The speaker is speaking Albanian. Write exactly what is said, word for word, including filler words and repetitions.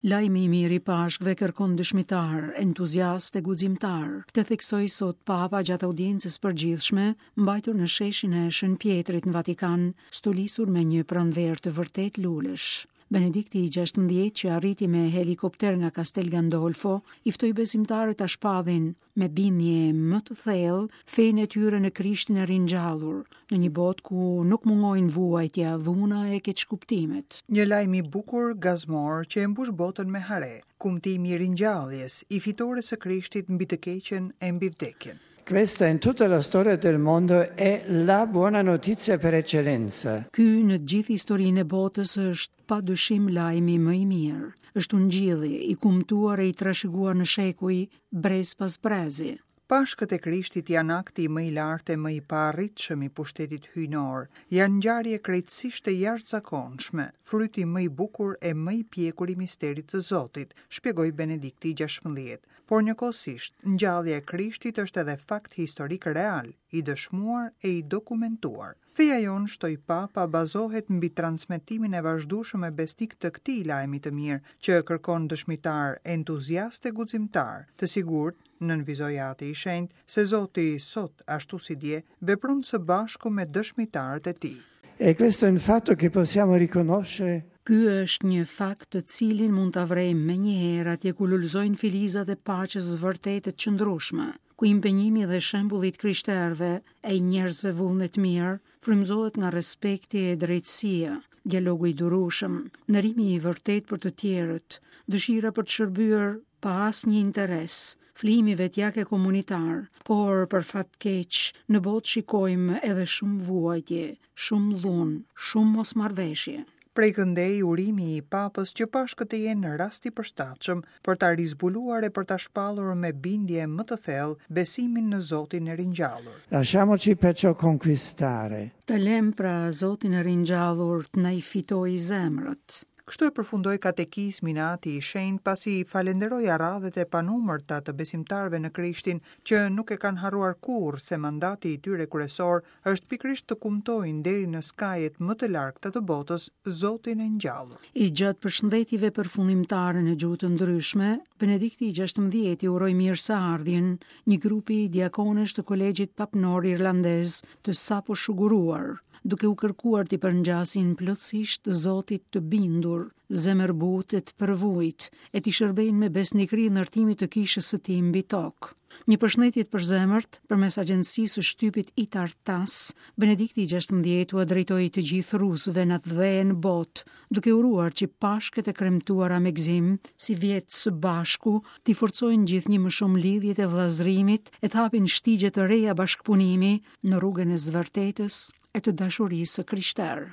Lajmi i mirë i Pashkëve kërkon dëshmitar, entuziast e guximtar. Këtë theksoi sot Papa gjatë audiencës përgjithshme, mbajtur në sheshin e Shën Pjetrit në Vatikan, stolisur me një pranverë të vërtet lulesh. Benedikti i gjashtëmbëdhjetë që arriti me helikopter nga Castel Gandolfo, i ftoi besimtarët ta shpallin me bindje më të thellë fenë e tyre në Krishtin e ringjallur, në një botë ku nuk mungojnë vuajtja, dhuna e keqkuptimet. Një lajm i bukur gazmor që e mbush botën me hare, kumtimi i ringjalljes, i fitores së Krishtit mbi të keqen e mbi vdekjen. Questa in tutta la storia del mondo è la buona notizia per eccellenza. Ky në gjithë historinë e botës është pa dyshim lajmi më i mirë. Është ungjilli i kumtuar e i trashëguar në shekuj, brez pas brezi. Pashkët e Krishtit janë akti më i lartë e më i paarritshëm i pushtetit hyjnor, janë ngjarje krejtësisht të jashtëzakonshme, fryti më i bukur e më i pjekur i misterit të Zotit, shpjegoi Benedikti i gjashtëmbëdhjetë. Por njëkohësisht, ngjallja e Krishtit është edhe fakt historik real, i dëshmuar e i dokumentuar. Feja jonë, shtoi Papa, bazohet mbi transmetimin e vazhdueshëm e besnik të këtij lajmi të mirë, që kërkon dëshmitar, entuziast e guximtar, të sigurt, nënvizoi Ati i Shenjtë, se Zoti sot, ashtu si dje, vepron së bashku me dëshmitarët e tij. E questo è un fatto che possiamo riconoscere. Ky është një fakt të cilin mund ta vrejmë menjëherë atje ku lulëzojnë filizat e paqes vërtetë të qëndrueshme, ku impenjimi dhe shembulli i krishterëve e i njerëzve vullnet mirë frymëzohet nga respekti e drejtësia, dialogu i durueshëm, nderimi i vërtet për të tjerët, dëshira për të shërbyer pa asnjë interes, flijimi vetjak e komunitar, por për fat keq në botë shikojmë edhe shumë vuajtje, shumë dhunë, shumë mosmarrveshje. Prej këndej urimi i Papës që Pashkët të jenë rast i përshtatshëm për ta rizbuluar e për ta shpallur me bindje më të thellë besimin në Zotin e ringjallur. Lasciamoci perciò conquistare. Të lëm pra Zotin e ringjallur të na i fitojë zemrat. Kështu e përfundoi katekizmin Ati i Shenjtë pasi i falenderoi arradhet e panumërta të besimtarëve në Krishtin që nuk e kanë harruar kurrë se mandati i tyre kryesor është pikërisht të kumtojnë deri në skajet më të largëta të botës Zotin e ngjallur. I gjatë përshëndetjeve përfundimtare në gjuhë të ndryshme, Benedikti i gjashtëmbëdhjetë i uroi mirëseardhjen një grupi diakonesh të kolegjit papnor irlandez të sapo shuguruar, duke u kërkuar t'i përngjasin plotësisht Zotit të bindur, zemërbutë e të përvujt, e t'i shërbejnë me besnikëri ndërtimit të kishës së tij mbi tokë. Një përshëndetje të përzemërt përmes agjencisë së shtypit Itar-Tass, Benedikti i gjashtëmbëdhjetë ua drejtoi të gjithë rusëve në atdhe e në botë, duke uruar që Pashkët e kremtuara me gëzim, si vjet së bashku, t'i forcojnë gjithnjë më shumë lidhjet e vëllazërimit e të hapin shtigje të reja bashkëpunimi në rrugën e zvërtetës e të dashurisë së krishterë.